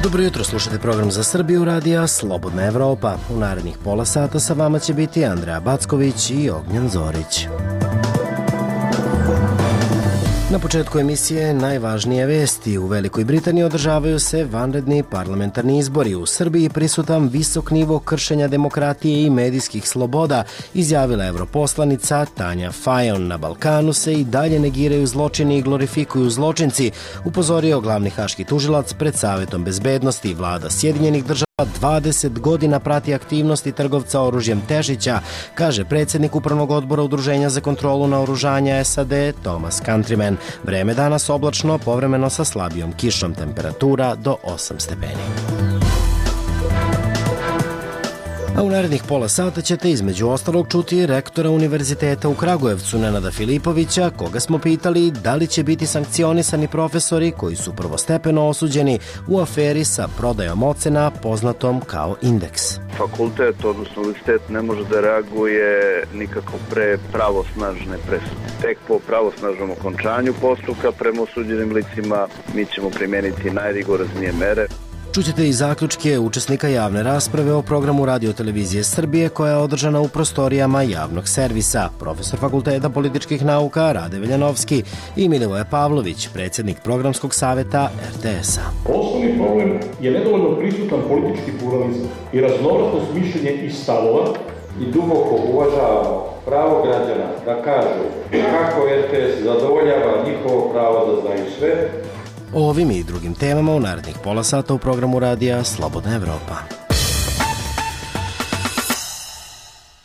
Dobro jutro, slušate program za Srbiju radija Slobodna Evropa. U narednih pola sata sa vama će biti Andreja Backović i Ognjen Zorić. Na početku emisije najvažnije vesti. U Velikoj Britaniji održavaju se vanredni parlamentarni izbori. U Srbiji prisutan visok nivo kršenja demokratije i medijskih sloboda, izjavila europoslanica Tanja Fajon. Na Balkanu se i dalje negiraju zločini i glorifikuju zločinci, upozorio glavni haški tužilac pred Savetom bezbednosti. Vlada Sjedinjenih država 20 godina prati aktivnosti trgovca oružjem Tešića, kaže predsjednik Upravnog odbora Udruženja za kontrolu naoružanja SAD Thomas Countryman. Vreme danas oblačno, povremeno sa slabijom kišom, temperatura do 8 stepeni. A u narednih pola sata ćete između ostalog čuti rektora Univerziteta u Kragujevcu Nenada Filipovića, koga smo pitali da li će biti sankcionisani profesori koji su prvostepeno osuđeni u aferi sa prodajom ocena poznatom kao indeks. Fakultet, odnosno univerzitet, ne može da reaguje nikako pre pravosnažne presude. Tek po pravosnažnom okončanju postupka prema osuđenim licima mi ćemo primijeniti najrigoroznije mere. Čućete i zaključke učesnika javne rasprave o programu Radio-televizije Srbije koja je održana u prostorijama javnog servisa. Profesor Fakulteta političkih nauka Rade Veljanovski i Milivoje Pavlović, predsjednik programskog saveta RTS-a. Osnovni problem je nedovoljno prisutan politički pluralizam i raznovrsnost mišljenja i stavova i duboko uvažavamo pravo građana da kažu kako RTS zadovoljava njihovo pravo da znaju sve. O ovim i drugim temama u narednih pola sata u programu radija Slobodna Evropa.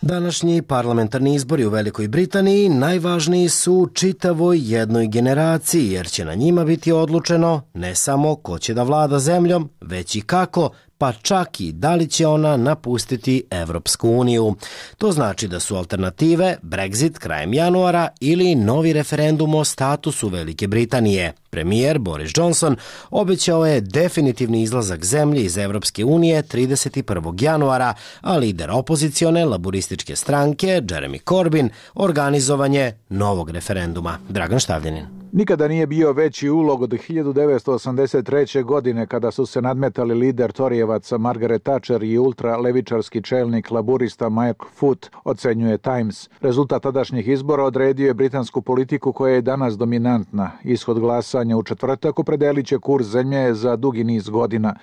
Današnji parlamentarni izbori u Velikoj Britaniji najvažniji su čitavoj jednoj generaciji, jer će na njima biti odlučeno ne samo ko će da vlada zemljom, već i kako, pa čak i da li će ona napustiti Evropsku uniju. To znači da su alternative Brexit krajem januara ili novi referendum o statusu Velike Britanije. Premijer Boris Johnson obećao je definitivni izlazak zemlje iz Evropske unije 31. januara, a lider opozicione laburističke stranke Jeremy Corbyn organizovanje novog referenduma. Dragan Štavljanin. Nikada nije bio veći ulog od 1983. godine kada su se nadmetali lider Torijevaca Margaret Thatcher i ultralevičarski čelnik laburista Mike Foot, ocenjuje Times. Rezultat tadašnjih izbora odredio je britansku politiku koja je danas dominantna. Ishod glasanja u četvrtak opredelit će kurs zemlje za dugi niz godina.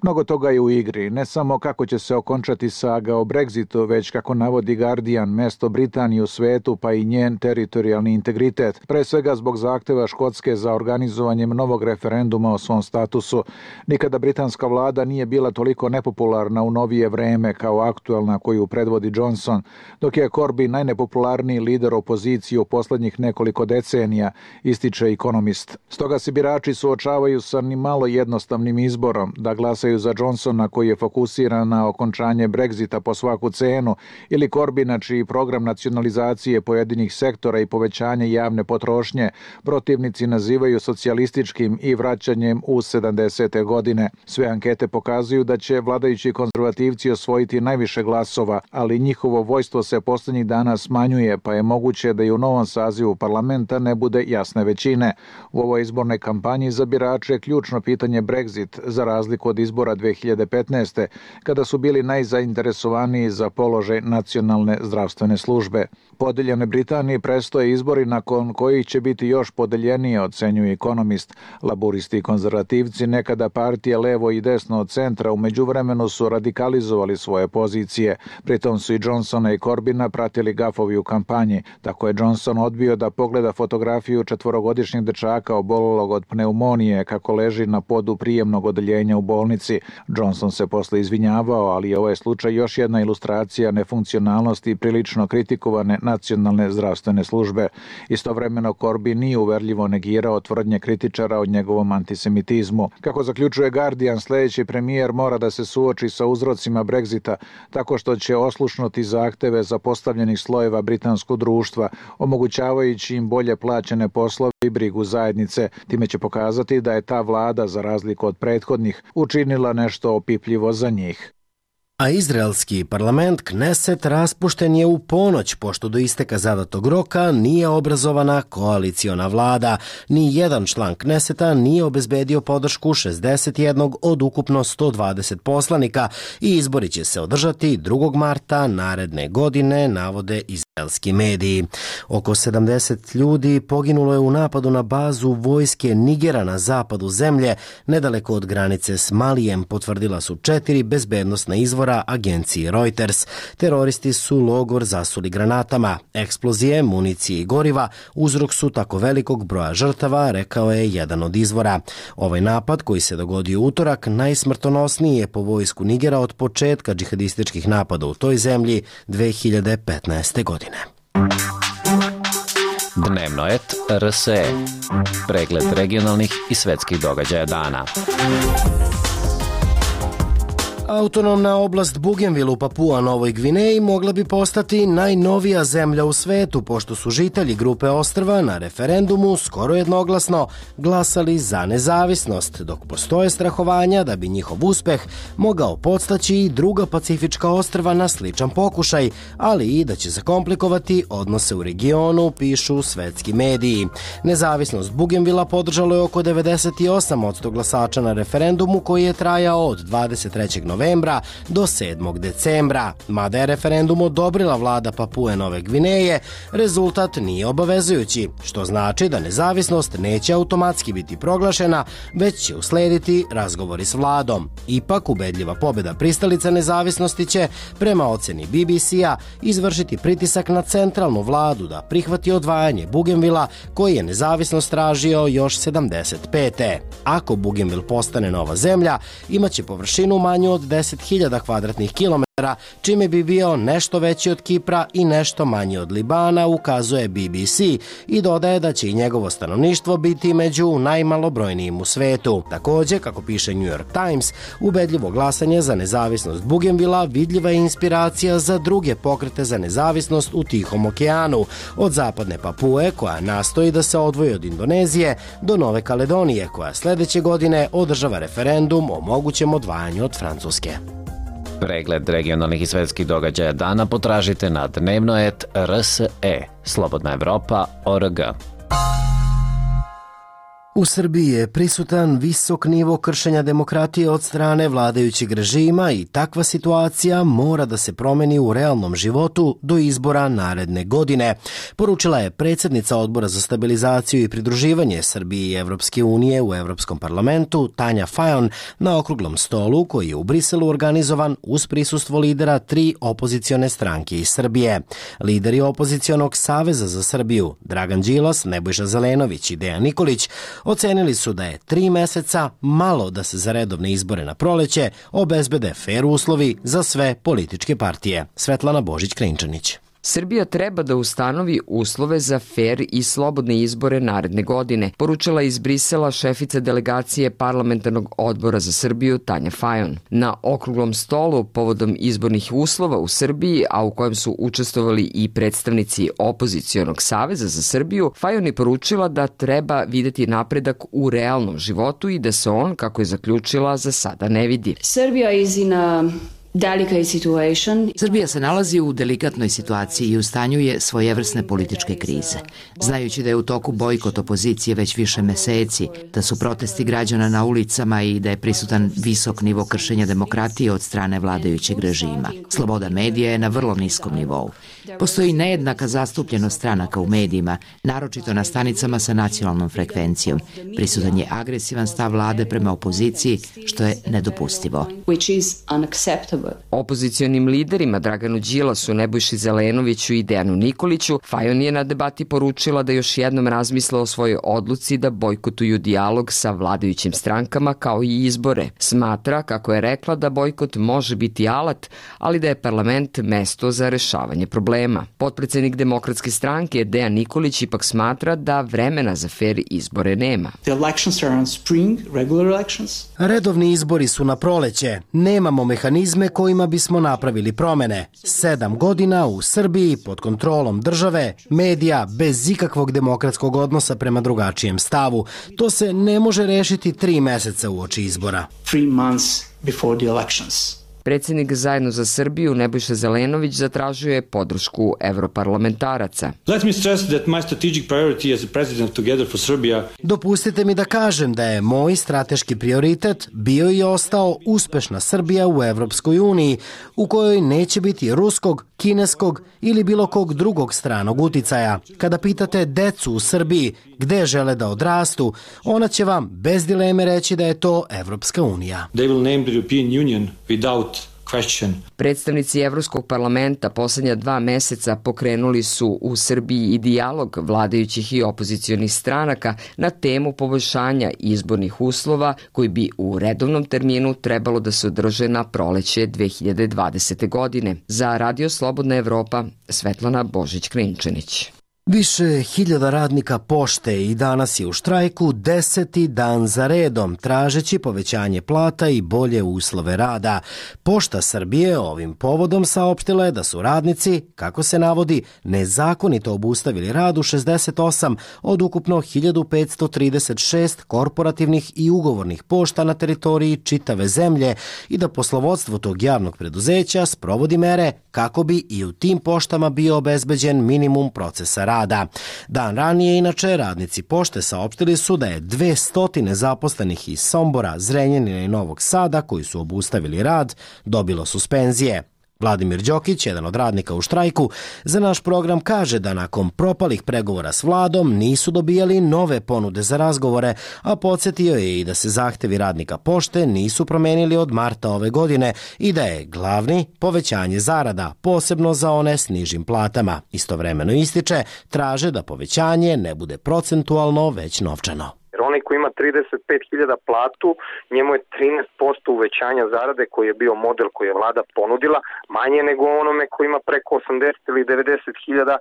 Mnogo toga je u igri, ne samo kako će se okončati saga o Brexitu, već kako navodi Guardian, mesto Britanije u svetu pa i njen teritorijalni integritet, pre svega zbog zahteva Škotske za organizovanjem novog referenduma o svom statusu. Nikada britanska vlada nije bila toliko nepopularna u novije vreme kao aktualna koju predvodi Johnson, dok je Corbyn najnepopularniji lider opozicije u poslednjih nekoliko decenija, ističe Economist. Stoga se birači suočavaju sa ni malo jednostavnim izborom da glasaju za Johnsona koji je fokusiran na okončanje Brexita po svaku cenu ili Corbyna čiji program nacionalizacije pojedinih sektora i povećanje javne potrošnje protivnici nazivaju socijalističkim i vraćanjem u 70. godine. Sve ankete pokazuju da će vladajući konzervativci osvojiti najviše glasova, ali njihovo vojstvo se poslednjih dana smanjuje, pa je moguće da i u novom sazivu parlamenta ne bude jasne većine. U ovoj izbornoj kampanji za birače je ključno pitanje Brexit, za razliku od izbora 2015. kada su bili najzainteresovaniji za položaj nacionalne zdravstvene službe. Podeljene Britaniji prestoje izbori nakon kojih će biti još podeljenije, ocenjuje Economist. Laburisti i konzervativci, nekada partije levo i desno od centra, u međuvremenu su radikalizovali svoje pozicije. Pritom su i Johnsona i Corbyna pratili gafovi u kampanji. Tako je Johnson odbio da pogleda fotografiju četvorogodišnjeg dečaka obolelog od pneumonije kako leži na podu prijemnog odeljenja u bolnici. Johnson se posle izvinjavao, ali ovo je slučaj još jedna ilustracija nefunkcionalnosti prilično kritikovane nacionalne zdravstvene službe. Istovremeno Corbyn nije uverljivo negirao tvrdnje kritičara o njegovom antisemitizmu. Kako zaključuje Guardian, sljedeći premijer mora da se suoči sa uzrocima Brexita tako što će oslušnuti zahteve zapostavljenih slojeva britanskog društva, omogućavajući im bolje plaćene poslove i brigu zajednice. Time će pokazati da je ta vlada, za razliku od prethodnih, učinila nešto opipljivo za njih. A izraelski parlament Kneset raspušten je u ponoć, pošto do isteka zadatog roka nije obrazovana koaliciona vlada. Ni jedan član Kneseta nije obezbedio podršku 61 od ukupno 120 poslanika i izbori će se održati 2. marta naredne godine, navode izraelski mediji. Oko 70 ljudi poginulo je u napadu na bazu vojske Nigera na zapadu zemlje, nedaleko od granice s Malijem, potvrdila su 4 bezbednosna izvora agenciji Reuters. Teroristi su logor zasuli granatama. Eksplozije, municije i goriva uzrok su tako velikog broja žrtava, rekao je jedan od izvora. Ovaj napad, koji se dogodio utorak, najsmrtonosniji je po vojsku Nigera od početka džihadističkih napada u toj zemlji 2015. godine. Dnevno et RSE. Pregled regionalnih i svetskih događaja dana. Autonomna oblast Bougainville u Papua Novoj Gvineji mogla bi postati najnovija zemlja u svetu, pošto su žitelji grupe ostrva na referendumu skoro jednoglasno glasali za nezavisnost, dok postoje strahovanja da bi njihov uspeh mogao podstaći i druga pacifička ostrva na sličan pokušaj, ali i da će zakomplikovati odnose u regionu, pišu svetski mediji. Nezavisnost Bougainvillea podržalo je oko 98% glasača na referendumu koji je trajao od 23. novembra do 7. decembra. Mada je referendum odobrila vlada Papue Nove Gvineje, rezultat nije obavezujući, što znači da nezavisnost neće automatski biti proglašena, već će uslediti razgovori s vladom. Ipak, ubedljiva pobjeda pristalica nezavisnosti će, prema oceni BBC-a, izvršiti pritisak na centralnu vladu da prihvati odvajanje Bougainvillea, koji je nezavisnost tražio još 75. Ako Bougainville postane nova zemlja, imaće površinu manju od 10.000 kvadratnih kilometara, čime bi bio nešto veći od Kipra i nešto manji od Libana, ukazuje BBC, i dodaje da će i njegovo stanovništvo biti među najmalobrojnijim u svetu. Također, kako piše New York Times, ubedljivo glasanje za nezavisnost Bougainvillea vidljiva je inspiracija za druge pokrete za nezavisnost u Tihom okeanu, od zapadne Papue, koja nastoji da se odvoji od Indonezije, do Nove Kaledonije, koja sljedeće godine održava referendum o mogućem odvajanju od Francuske. Pregled regionalnih i svetskih događaja dana potražite na dnevnoet.rse. Slobodna Evropa.org. U Srbiji je prisutan visok nivo kršenja demokratije od strane vladajućeg režima i takva situacija mora da se promeni u realnom životu do izbora naredne godine, poručila je predsjednica Odbora za stabilizaciju i pridruživanje Srbije i Evropske unije u Evropskom parlamentu Tanja Fajon na okruglom stolu koji je u Briselu organizovan uz prisustvo lidera 3 opozicione stranke iz Srbije. Lideri opozicionog Saveza za Srbiju, Dragan Đilas, Nebojša Zelenović i Dejan Nikolić, ocenili su da je 3 meseca malo da se za redovne izbore na proleće obezbede fer uslovi za sve političke partije. Svetlana Božić-Klinčanić. Srbija treba da ustanovi uslove za fer i slobodne izbore naredne godine, poručila iz Brisela šefica delegacije Parlamentarnog odbora za Srbiju Tanja Fajon. Na okruglom stolu povodom izbornih uslova u Srbiji, a u kojem su učestvovali i predstavnici opozicionog Saveza za Srbiju, Fajon je poručila da treba videti napredak u realnom životu i da se on, kako je zaključila, za sada ne vidi. Srbija se nalazi u delikatnoj situaciji i u stanju je svojevrsne političke krize. Znajući da je u toku bojkot opozicije već više meseci, da su protesti građana na ulicama i da je prisutan visok nivo kršenja demokratije od strane vladajućeg režima. Sloboda medija je na vrlo niskom nivou. Postoji nejednaka zastupljenost stranaka u medijima, naročito na stanicama sa nacionalnom frekvencijom. Prisutan je agresivan stav vlade prema opoziciji, što je nedopustivo. Opozicionim liderima Draganu Đilasu, Nebojši Zelenoviću i Dejanu Nikoliću, Fajon je na debati poručila da još jednom razmisle o svojoj odluci da bojkotuju dijalog sa vladajućim strankama kao i izbore. Smatra, kako je rekla, da bojkot može biti alat, ali da je parlament mesto za rešavanje problema. Potpredsednik Demokratske stranke Dejan Nikolić ipak smatra da vremena za fer izbore nema. Redovni izbori su na proleće. Nemamo mehanizme kojima bismo napravili promene. 7 godina u Srbiji pod kontrolom države, medija, bez ikakvog demokratskog odnosa prema drugačijem stavu. To se ne može rešiti 3 meseca uoči izbora. Predsjednik Zajedno za Srbiju Nebojša Zelenović zatražio je podršku evroparlamentaraca. Let me stress that my strategic priority as a president of Together for Serbia. Dopustite mi da kažem da je moj strateški prioritet bio i ostao uspešna Srbija u Evropskoj uniji, u kojoj neće biti ruskog, kineskog ili bilo kog drugog stranog uticaja. Kada pitate decu u Srbiji gde žele da odrastu, ona će vam bez dileme reći da je to Evropska unija. They will name the European Union without question. Predstavnici Evropskog parlamenta poslednja 2 meseca pokrenuli su u Srbiji i dijalog vladajućih i opozicionih stranaka na temu poboljšanja izbornih uslova koji bi u redovnom terminu trebalo da se održe na proleće 2020. godine. Za Radio Slobodna Evropa, Svetlana Božić-Krinčanić. Više hiljada radnika pošte i danas je u štrajku 10. dan za redom, tražeći povećanje plata i bolje uslove rada. Pošta Srbije ovim povodom saopštila je da su radnici, kako se navodi, nezakonito obustavili rad u 68 od ukupno 1536 korporativnih i ugovornih pošta na teritoriji čitave zemlje i da poslovodstvo tog javnog preduzeća sprovodi mere kako bi i u tim poštama bio obezbeđen minimum procesa rada. Dan ranije, inače, radnici pošte saopštili su da je 200 zaposlenih iz Sombora, Zrenjanina i Novog Sada, koji su obustavili rad, dobilo suspenzije. Vladimir Đokić, jedan od radnika u štrajku, za naš program kaže da nakon propalih pregovora s vladom nisu dobijali nove ponude za razgovore, a podsjetio je i da se zahtevi radnika pošte nisu promenili od marta ove godine i da je glavni povećanje zarada, posebno za one s nižim platama. Istovremeno ističe, traže da povećanje ne bude procentualno, već novčano. Jer onaj koji ima 35.000 platu, njemu je 13% uvećanja zarade koji je bio model koji je vlada ponudila, manje nego onome koji ima preko 80 ili 90.000,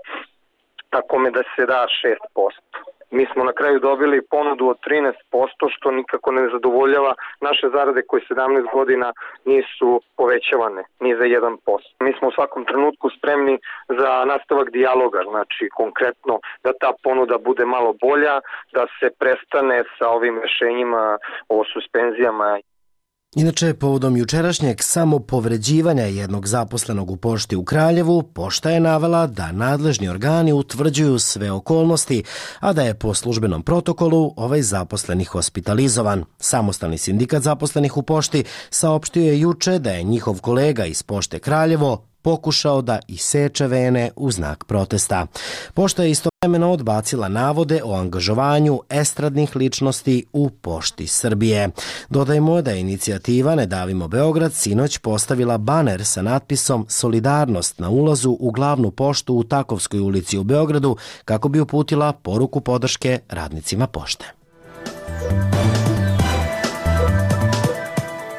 tako me da se da 6%. Mi smo na kraju dobili ponudu od 13%, što nikako ne zadovoljava naše zarade koje 17 godina nisu povećavane, ni za 1%. Mi smo u svakom trenutku spremni za nastavak dijaloga, znači konkretno da ta ponuda bude malo bolja, da se prestane sa ovim rešenjima o suspenzijama. Inače, povodom jučerašnjeg samopovređivanja jednog zaposlenog u pošti u Kraljevu, pošta je navela da nadležni organi utvrđuju sve okolnosti, a da je po službenom protokolu ovaj zaposleni hospitalizovan. Samostalni sindikat zaposlenih u pošti saopštio je juče da je njihov kolega iz pošte Kraljevo pokušao da iseče vene u znak protesta. Pošta je istovremeno odbacila navode o angažovanju estradnih ličnosti u Pošti Srbije. Dodajmo da je inicijativa Ne davimo Beograd sinoć postavila baner sa natpisom Solidarnost na ulazu u glavnu poštu u Takovskoj ulici u Beogradu kako bi uputila poruku podrške radnicima pošte.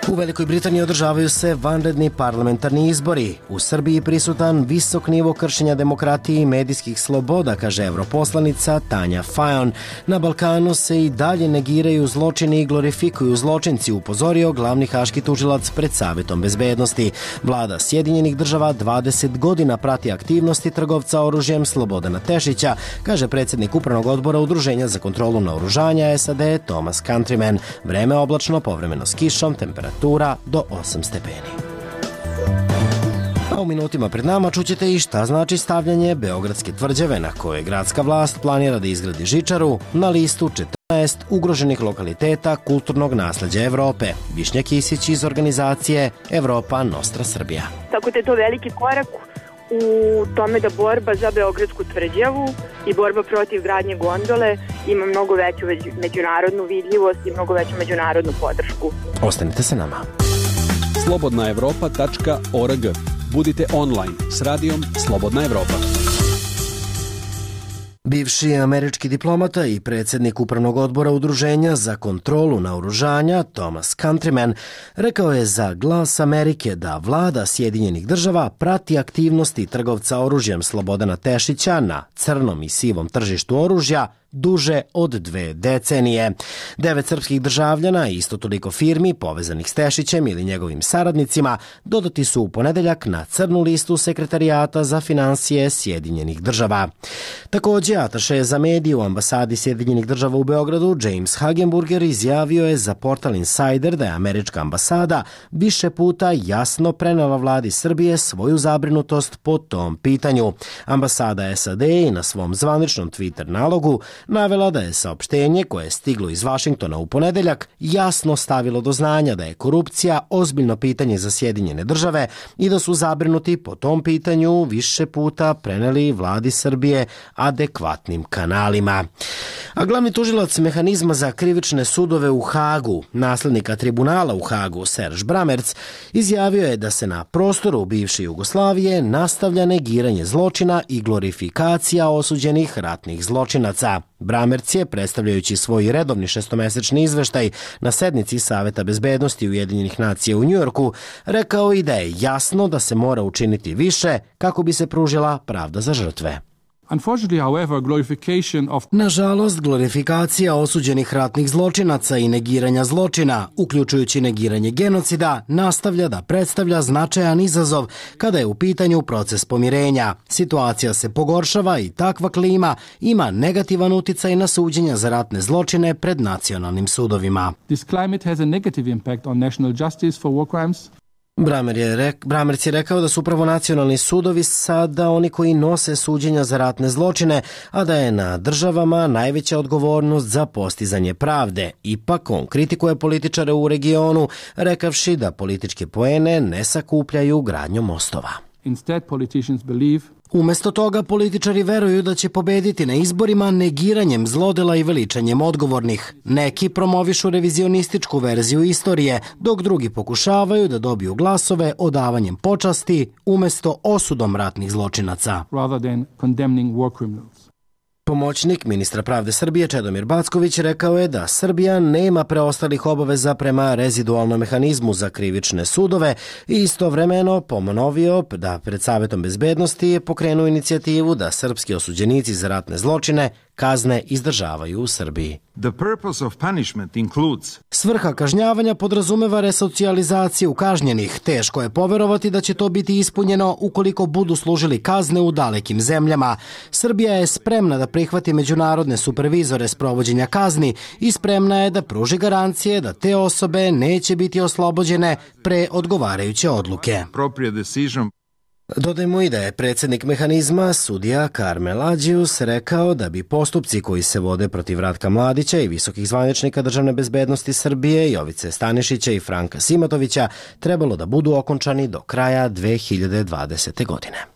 U Velikoj Britaniji održavaju se vanredni parlamentarni izbori. U Srbiji prisutan visok nivo kršenja demokratije i medijskih sloboda, kaže europoslanica Tanja Fajon. Na Balkanu se i dalje negiraju zločini i glorifikuju zločinci, upozorio glavni haški tužilac pred Savetom bezbednosti. Vlada Sjedinjenih država 20 godina prati aktivnosti trgovca oružjem Slobodana Tešića, kaže predsjednik Upravnog odbora Udruženja za kontrolu naoružanja SAD Thomas Countryman. Vreme oblačno, povremeno s kišom, temperatura do 8 stepeni. A u minutima pred nama čućete i šta znači stavljanje Beogradske tvrđave na kojoj gradska vlast planira da izgradi žičaru na listu 14 ugroženih lokaliteta kulturnog nasleđa Evrope. Višnja Kisić iz organizacije Evropa Nostra Srbija. Tako da je to veliki korak u tome da borba za Beogradsku tvrđavu i borba protiv gradnje gondole ima mnogo veću međunarodnu vidljivost i mnogo veću međunarodnu podršku. Ostanite sa nama. slobodnaevropa.org. Budite online s radijom Slobodna Evropa. Bivši američki diplomata i predsjednik Upravnog odbora Udruženja za kontrolu naoružanja Thomas Countryman rekao je za Glas Amerike da vlada Sjedinjenih država prati aktivnosti trgovca oružjem Slobodana Tešića na crnom i sivom tržištu oružja duže od 2 decenije. 9 srpskih državljana i isto toliko firmi povezanih s Tešićem ili njegovim saradnicima dodati su u ponedeljak na crnu listu Sekretarijata za finansije Sjedinjenih država. Takođe, ataše za medije u ambasadi Sjedinjenih država u Beogradu James Hagenburger izjavio je za portal Insider da je američka ambasada više puta jasno prenela vladi Srbije svoju zabrinutost po tom pitanju. Ambasada SAD i na svom zvaničnom Twitter nalogu navela da je saopštenje koje je stiglo iz Vašingtona u ponedeljak jasno stavilo do znanja da je korupcija ozbiljno pitanje za Sjedinjene države i da su zabrinuti po tom pitanju više puta preneli vladi Srbije adekvatnim kanalima. A glavni tužilac mehanizma za krivične sudove u Hagu, naslednika tribunala u Hagu, Serge Bramerc, izjavio je da se na prostoru bivše Jugoslavije nastavlja negiranje zločina i glorifikacija osuđenih ratnih zločinaca. Bramerc je, predstavljajući svoj redovni šestomesečni izveštaj na sednici Saveta bezbednosti Ujedinjenih nacija u Njujorku, rekao i da je jasno da se mora učiniti više kako bi se pružila pravda za žrtve. Nažalost, glorifikacija osuđenih ratnih zločinaca i negiranja zločina, uključujući negiranje genocida, nastavlja da predstavlja značajan izazov kada je u pitanju proces pomirenja. Situacija se pogoršava i takva klima ima negativan uticaj na suđenja za ratne zločine pred nacionalnim sudovima. This climate has a negative impact on national justice for war crimes. Bramerc je rekao da su upravo nacionalni sudovi sada oni koji nose suđenja za ratne zločine, a da je na državama najveća odgovornost za postizanje pravde. Ipak on kritikuje političare u regionu, rekavši da političke poene ne sakupljaju gradnjom mostova. Instead, politicians believe Umesto toga, političari veruju da će pobediti na izborima negiranjem zlodela i veličanjem odgovornih. Neki promovišu revizionističku verziju istorije, dok drugi pokušavaju da dobiju glasove odavanjem počasti umesto osudom ratnih zločinaca. rather than condemning war criminals. Pomoćnik ministra pravde Srbije Čedomir Backović rekao je da Srbija nema preostalih obaveza prema rezidualnom mehanizmu za krivične sudove i istovremeno ponovio da pred Savetom bezbednosti je pokrenuo inicijativu da srpski osuđenici za ratne zločine kazne izdržavaju u Srbiji. The purpose of punishment includes Svrha kažnjavanja podrazumeva resocijalizaciju kažnjenih. Teško je poverovati da će to biti ispunjeno ukoliko budu služili kazne u dalekim zemljama. Srbija je spremna da prihvati međunarodne supervizore sprovođenja kazni i spremna je da pruži garancije da te osobe neće biti oslobođene pre odgovarajuće odluke. appropriate decision. Dodajmo i da je predsjednik mehanizma, sudija Karmel Ađius, rekao da bi postupci koji se vode protiv Ratka Mladića i visokih zvaničnika državne bezbednosti Srbije, Jovice Stanišića i Franka Simatovića, trebalo da budu okončani do kraja 2020. godine.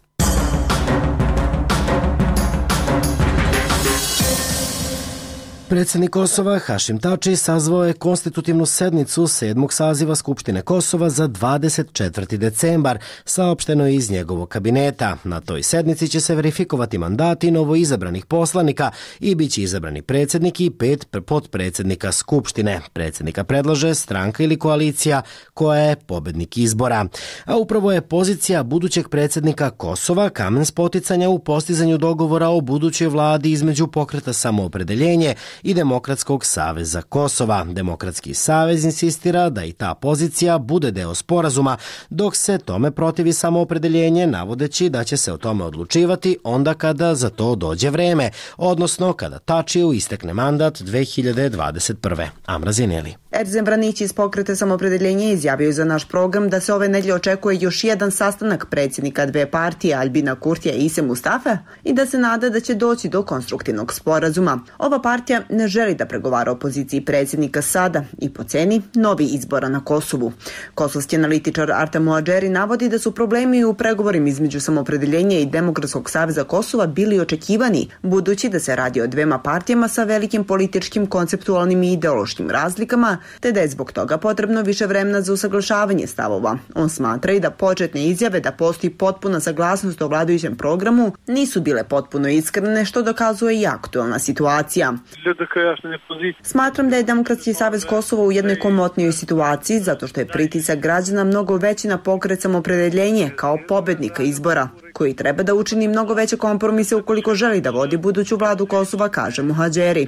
Predsjednik Kosova Hašim Tači sazvao je konstitutivnu sednicu 7. saziva Skupštine Kosova za 24. decembar, saopšteno je iz njegovog kabineta. Na toj sednici će se verifikovati mandati novoizabranih poslanika i bit će izabrani predsjednik i 5 potpredsjednika Skupštine. Predsjednika predlaže stranka ili koalicija koja je pobednik izbora. A upravo je pozicija budućeg predsjednika Kosova kamen spoticanja u postizanju dogovora o budućoj vladi između Pokreta Samoopredeljenje i Demokratskog saveza Kosova. Demokratski savez insistira da i ta pozicija bude deo sporazuma, dok se tome protivi Samoopredeljenje, navodeći da će se o tome odlučivati onda kada za to dođe vreme, odnosno kada Tačiju istekne mandat 2021. Amra Zineli. Erzem Vranić iz Pokreta Samoopredeljenje izjavio za naš program da se ove nedelje očekuje još jedan sastanak predsjednika dve partije Albina Kurtija i Ise Mustafe i da se nada da će doći do konstruktivnog sporazuma. Ova partija ne želi da pregovara o poziciji predsjednika sada i po ceni novi izbora na Kosovu. Kosovski analitičar Artem Muadžeri navodi da su problemi u pregovorima između Samoopredeljenja i Demokratskog saveza Kosova bili očekivani, budući da se radi o dvema partijama sa velikim političkim, konceptualnim i ideološkim razlikama te da je zbog toga potrebno više vremena za usaglašavanje stavova. On smatra i da početne izjave da postoji potpuna saglasnost o vladajućem programu nisu bile potpuno iskrene, što dokazuje i aktuelna situacija. Smatram da je Demokratski savez Kosova u jednoj komotnijoj situaciji zato što je pritisak građana mnogo veći na pokret Samoopredjeljenje kao pobednika izbora, koji treba da učini mnogo veće kompromise ukoliko želi da vodi buduću vladu Kosova, kaže Muhadžeri.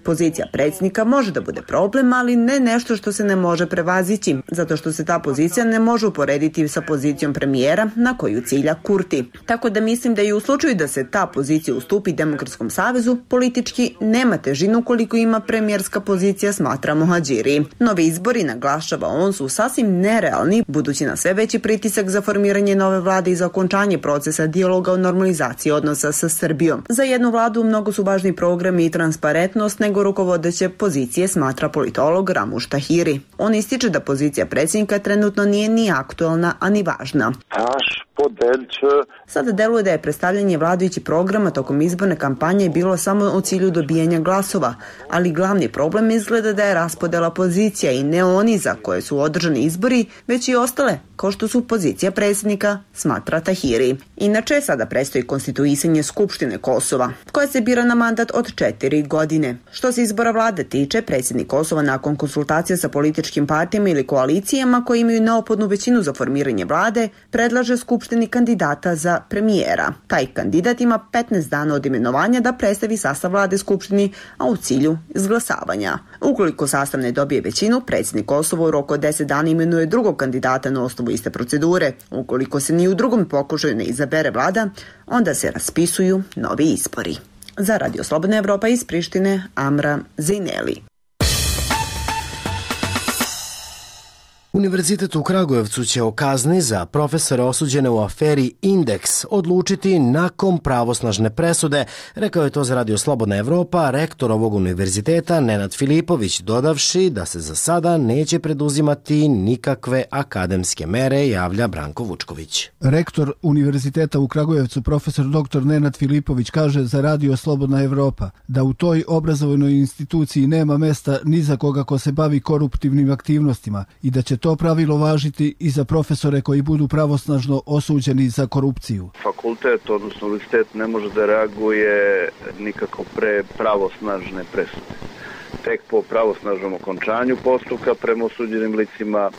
Pozicija predsjednika može da bude problem, ali ne nešto što se ne može prevazići, zato što se ta pozicija ne može uporediti sa pozicijom premijera na koju cilja Kurti. Tako da mislim da i u slučaju da se ta pozicija ustupi Demokratskom savezu, politički nema težinu koliko ima premijerska pozicija, smatra Muhadžiri. Novi izbori, naglašava on, su sasvim nerealni, budući na sve veći pritisak za formiranje nove vlade i za okončanje procesa dijaloga o normalizaciji odnosa sa Srbijom. Za jednu vladu mnogo su važni programi i transparentnost nego rukovodeće pozicije, smatra politolog Ramuš Tahiri. On ističe da pozicija predsjednika trenutno nije ni aktualna, a ni važna. Sada deluje da je predstavljanje vladajućih programa tokom izborne kampanje bilo samo u cilju dobijanja glasova, ali glavni problem izgleda da je raspodela pozicija i ne oni za koje su održani izbori, već i ostale, kao što su pozicija predsjednika, smatra Tahiri. Inače, sada predstoji konstituisanje Skupštine Kosova, koja se bira na mandat od 4 godine. Što se izbora vlade tiče, predsjednik Kosova nakon konsultacija sa političkim partijama ili koalicijama koji imaju neophodnu većinu za formiranje vlade, predlaže Skupštini kandidata za premijera. Taj kandidat ima 15 dana od imenovanja da predstavi sastav vlade Skupštini, a u cilju izglasavanja. Ukoliko sastav ne dobije većinu, predsjednik Kosova u roku od 10 dana imenuje drugog kandidata na osnovu iste procedure. Ukoliko se ni u drugom pokušaju ne izabere vlada, onda se raspisuju novi izbori. Za Radio Slobodna Evropa iz Prištine, Amra Zineli. Univerzitet u Kragujevcu će o kazni za profesore osuđene u aferi Indeks odlučiti nakon pravosnažne presude, rekao je to za Radio Slobodna Evropa rektor ovog univerziteta Nenad Filipović, dodavši da se za sada neće preduzimati nikakve akademske mere, javlja Branko Vučković. Rektor Univerziteta u Kragujevcu profesor dr. Nenad Filipović kaže za Radio Slobodna Evropa da u toj obrazovnoj instituciji nema mesta ni za koga ko se bavi koruptivnim aktivnostima i da će to pravilo važiti i za profesore koji budu pravosnažno osuđeni za korupciju. Fakultet, odnosno univerzitet, ne može da reaguje nikako pre pravosnažne presude. Tek po pravosnažnom okončanju postupka prema osuđenim licima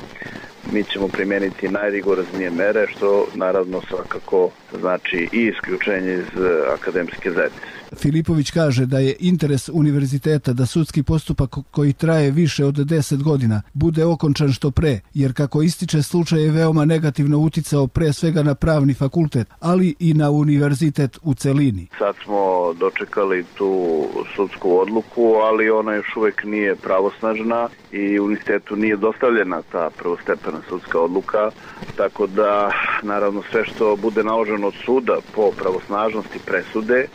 mi ćemo primijeniti najrigoroznije mere, što naravno svakako znači i isključenje iz akademske zajednice. Filipović kaže da je interes univerziteta da sudski postupak koji traje više od 10 godina bude okončan što pre, jer kako ističe slučaj je veoma negativno uticao pre svega na pravni fakultet, ali i na univerzitet u celini. Sad smo dočekali tu sudsku odluku, ali ona još uvek nije pravosnažna i univerzitetu nije dostavljena ta prvostepena sudska odluka, tako da naravno sve što bude naloženo od suda po pravosnažnosti presude,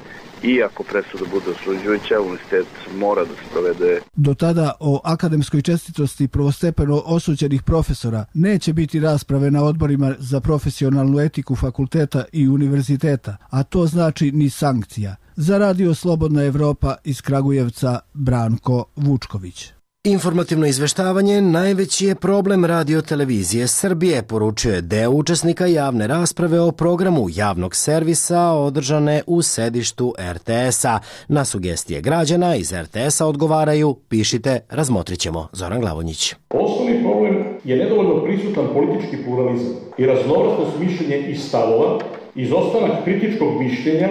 i ako presuda bude osuđujuća, univerzitet mora da se provede. Do tada o akademskoj čestitosti prvostepeno osuđenih profesora neće biti rasprave na odborima za profesionalnu etiku fakulteta i univerziteta, a to znači ni sankcija. Za Radio Slobodna Evropa iz Kragujevca, Branko Vučković. Informativno izveštavanje najveći je problem Radio-televizije Srbije, poručuje deo učesnika javne rasprave o programu javnog servisa održane u sedištu RTS-a. Na sugestije građana iz RTS-a odgovaraju, pišite, razmotrit ćemo. Zoran Glavonjić. Osnovni problem je nedovoljno prisutan politički pluralizam i raznovrsnost mišljenja i stavova, izostanak kritičkog mišljenja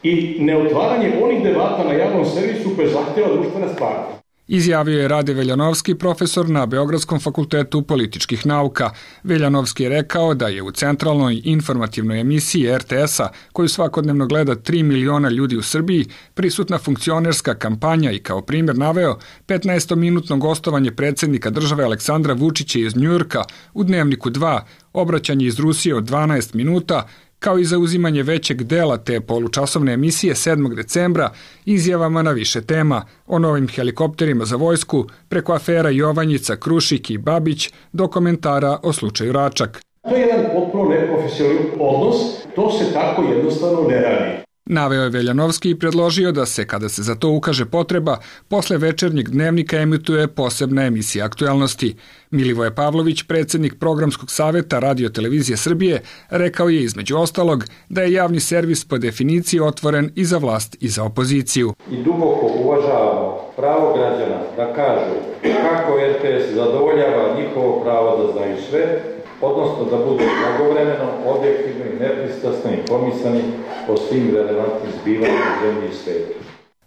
i neotvaranje onih debata na javnom servisu koje zahtjeva društvena stvarnost. Izjavio je Rade Veljanovski, profesor na Beogradskom fakultetu političkih nauka. Veljanovski je rekao da je u centralnoj informativnoj emisiji RTS-a, koju svakodnevno gleda 3 miliona ljudi u Srbiji, prisutna funkcionerska kampanja i kao primjer naveo 15-minutno gostovanje predsjednika države Aleksandra Vučića iz Njujorka u Dnevniku 2, obraćanje iz Rusije od 12 minuta, kao i zauzimanje većeg dela te polučasovne emisije 7. decembra izjavama na više tema, o novim helikopterima za vojsku, preko afera Jovanjica, Krušik i Babić, do komentara o slučaju Račak. To je jedan potpuno neprofesionalan odnos, to se tako jednostavno ne radi. Naveo je Veljanovski i predložio da se, kada se za to ukaže potreba, posle večernjeg dnevnika emituje posebna emisija aktuelnosti. Milivoje Pavlović, predsjednik Programskog saveta Radio-televizije Srbije, rekao je između ostalog da je javni servis po definiciji otvoren i za vlast i za opoziciju. I duboko uvažavamo pravo građana da kažu kako RTS zadovoljava njihovo pravo da znaju sve, odnosno da budu blagovremeno, objektivno i nepristrasno informisani o svim relevantnim zbivanjima u zemlji i svijetu.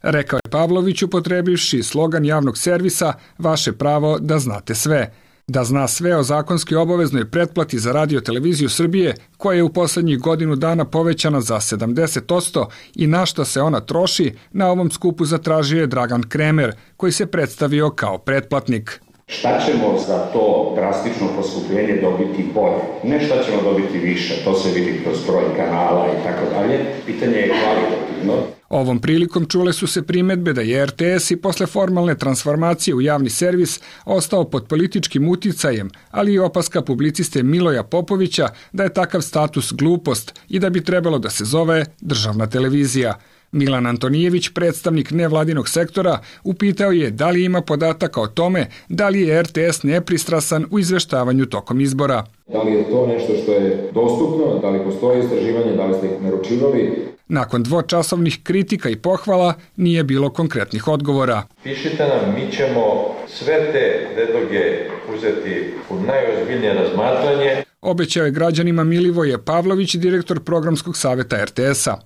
Rekao je Pavlović upotrebivši slogan javnog servisa "Vaše pravo da znate sve". Da zna sve o zakonski obaveznoj pretplati za Radio-televiziju Srbije, koja je u poslednjih godinu dana povećana za 70% i na šta se ona troši, na ovom skupu zatražio je Dragan Kremer, koji se predstavio kao pretplatnik. Šta ćemo za to drastično poskupljenje dobiti bolje? Ne šta ćemo dobiti više, to se vidi kroz broj kanala i tako dalje. Pitanje je kvalitativno. Ovom prilikom čule su se primedbe da je RTS i posle formalne transformacije u javni servis ostao pod političkim uticajem, ali i opaska publiciste Miloja Popovića da je takav status glupost i da bi trebalo da se zove državna televizija. Milan Antonijević, predstavnik nevladinog sektora, upitao je da li ima podataka o tome da li je RTS nepristrasan u izveštavanju tokom izbora. Da li je to nešto što je dostupno, da li postoje istraživanje, da li ste ih naručivali? Nakon dvočasovnih kritika i pohvala nije bilo konkretnih odgovora. Pišite nam, mi ćemo sve te predloge uzeti u najozbiljnije razmatranje. Obećao je građanima Milivoje Pavlović, direktor Programskog saveta RTS-a.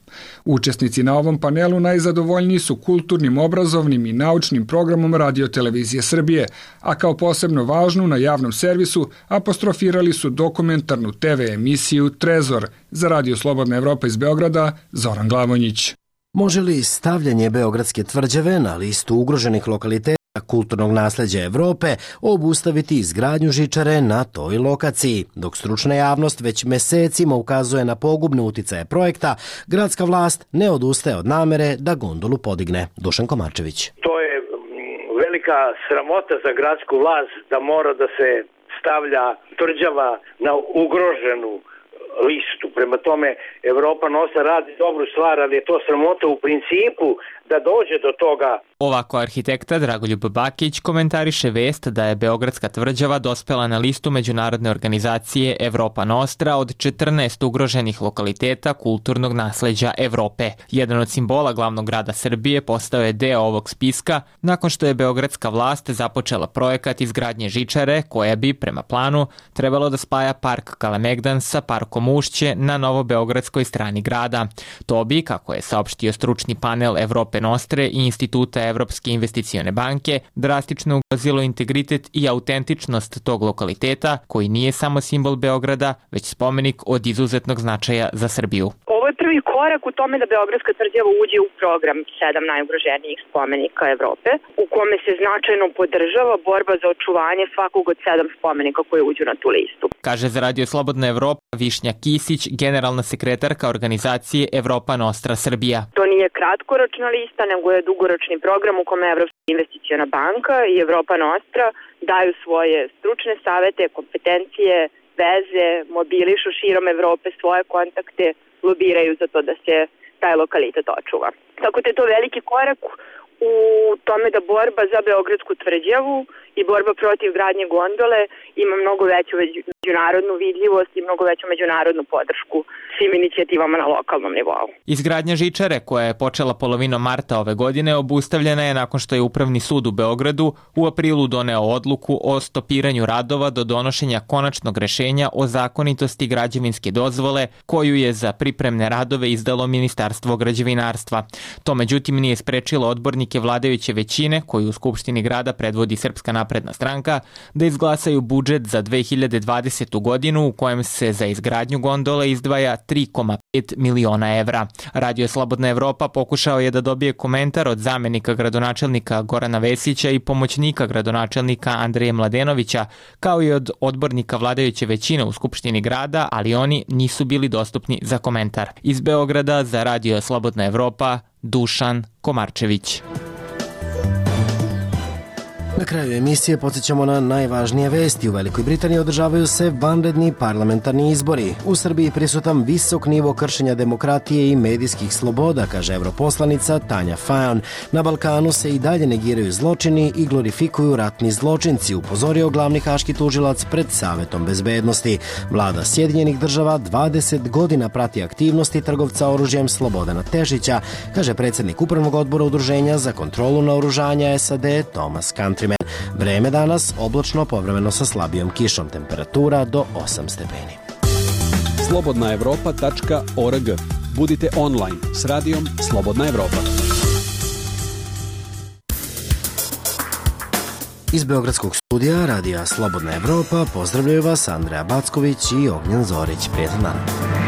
Učesnici na ovom panelu najzadovoljniji su kulturnim, obrazovnim i naučnim programom Radio-televizije Srbije, a kao posebno važnu na javnom servisu apostrofirali su dokumentarnu TV emisiju Trezor. Za Radio Slobodna Evropa iz Beograda, Zoran Glavonjić. Može li stavljanje Beogradske tvrđave na listu ugroženih lokaliteta kulturnog nasleđa Evrope obustaviti izgradnju žičare na toj lokaciji? Dok stručna javnost već mesecima ukazuje na pogubne uticaje projekta, gradska vlast ne odustaje od namere da gondolu podigne. Dušan Komarčević. To je velika sramota za gradsku vlast da mora da se stavlja tvrđava na ugroženu listu. Prema tome, Evropa Nostra radi dobru stvar, ali je to sramota u principu da dođe do toga. Ovako arhitekta Dragoljub Bakić komentariše vest da je Beogradska tvrđava dospela na listu međunarodne organizacije Evropa Nostra od 14 ugroženih lokaliteta kulturnog nasleđa Evrope. Jedan od simbola glavnog grada Srbije postao je deo ovog spiska nakon što je beogradska vlast započela projekat izgradnje žičare koja bi, prema planu, trebalo da spaja park Kalemegdan sa parkom Ušće na novobeogradskoj strani grada. To bi, kako je saopštio stručni panel Evrope Nostre i Instituta Evropske investicione banke, drastično ugrozilo integritet i autentičnost tog lokaliteta, koji nije samo simbol Beograda, već spomenik od izuzetnog značaja za Srbiju. Ovo je prvi korak u tome da Beogradska tvrđava uđe u program 7 najugroženijih spomenika Evrope, u kome se značajno podržava borba za očuvanje svakog od 7 spomenika koje uđu na tu listu. Kaže za Radio Slobodna Evropa Višnja Kisić, generalna sekretarka organizacije Evropa Nostra Srbija. To nije kratkoročna lista, nego je dugoročni program u kome Evropska investiciona banka i Evropa Nostra daju svoje stručne savete, kompetencije, veze, mobilišu širom Evrope svoje kontakte, lobiraju za to da se taj lokalitet očuva. Tako da je to veliki korak u tome da borba za Beogradsku tvrđavu i borba protiv gradnje gondole ima mnogo veću međunarodnu vidljivost i mnogo veću međunarodnu podršku svim inicijativama na lokalnom nivou. Izgradnja žičare, koja je počela polovinom marta ove godine, obustavljena je nakon što je Upravni sud u Beogradu u aprilu doneo odluku o stopiranju radova do donošenja konačnog rešenja o zakonitosti građevinske dozvole koju je za pripremne radove izdalo Ministarstvo građevinarstva. To međutim nije sprečilo odbornike vladajuće većine, koju u Skupštini grada predvodi Srpska napredna stranka, da izglasaju budžet za 2020. godinu u kojem se za izgradnju gondole izdvaja 3,5 miliona evra. Radio Slobodna Evropa pokušao je da dobije komentar od zamenika gradonačelnika Gorana Vesića i pomoćnika gradonačelnika Andreja Mladenovića, kao i od odbornika vladajuće većine u Skupštini grada, ali oni nisu bili dostupni za komentar. Iz Beograda za Radio Slobodna Evropa, Dušan Komarčević. Na kraju emisije podsjećamo na najvažnije vesti. U Velikoj Britaniji održavaju se vanredni parlamentarni izbori. U Srbiji prisutan visok nivo kršenja demokratije i medijskih sloboda, kaže europoslanica Tanja Fajon. Na Balkanu se i dalje negiraju zločini i glorifikuju ratni zločinci, upozorio glavni haški tužilac pred Savetom bezbednosti. Vlada Sjedinjenih država 20 godina prati aktivnosti trgovca oružjem Slobodana Tešića, kaže predsjednik Upravnog odbora Udruženja za kontrolu naoružanja SAD Thomas Countryman. Vreme danas oblačno, povremeno sa slabijom kišom, temperatura do 8 stepeni. slobodnaevropa.org. Budite online s radijom Slobodna Evropa. Iz Beogradskog studija radija Slobodna Evropa pozdravljaju vas Andreja Backović i Ognjen Zorić. Prijetan dan.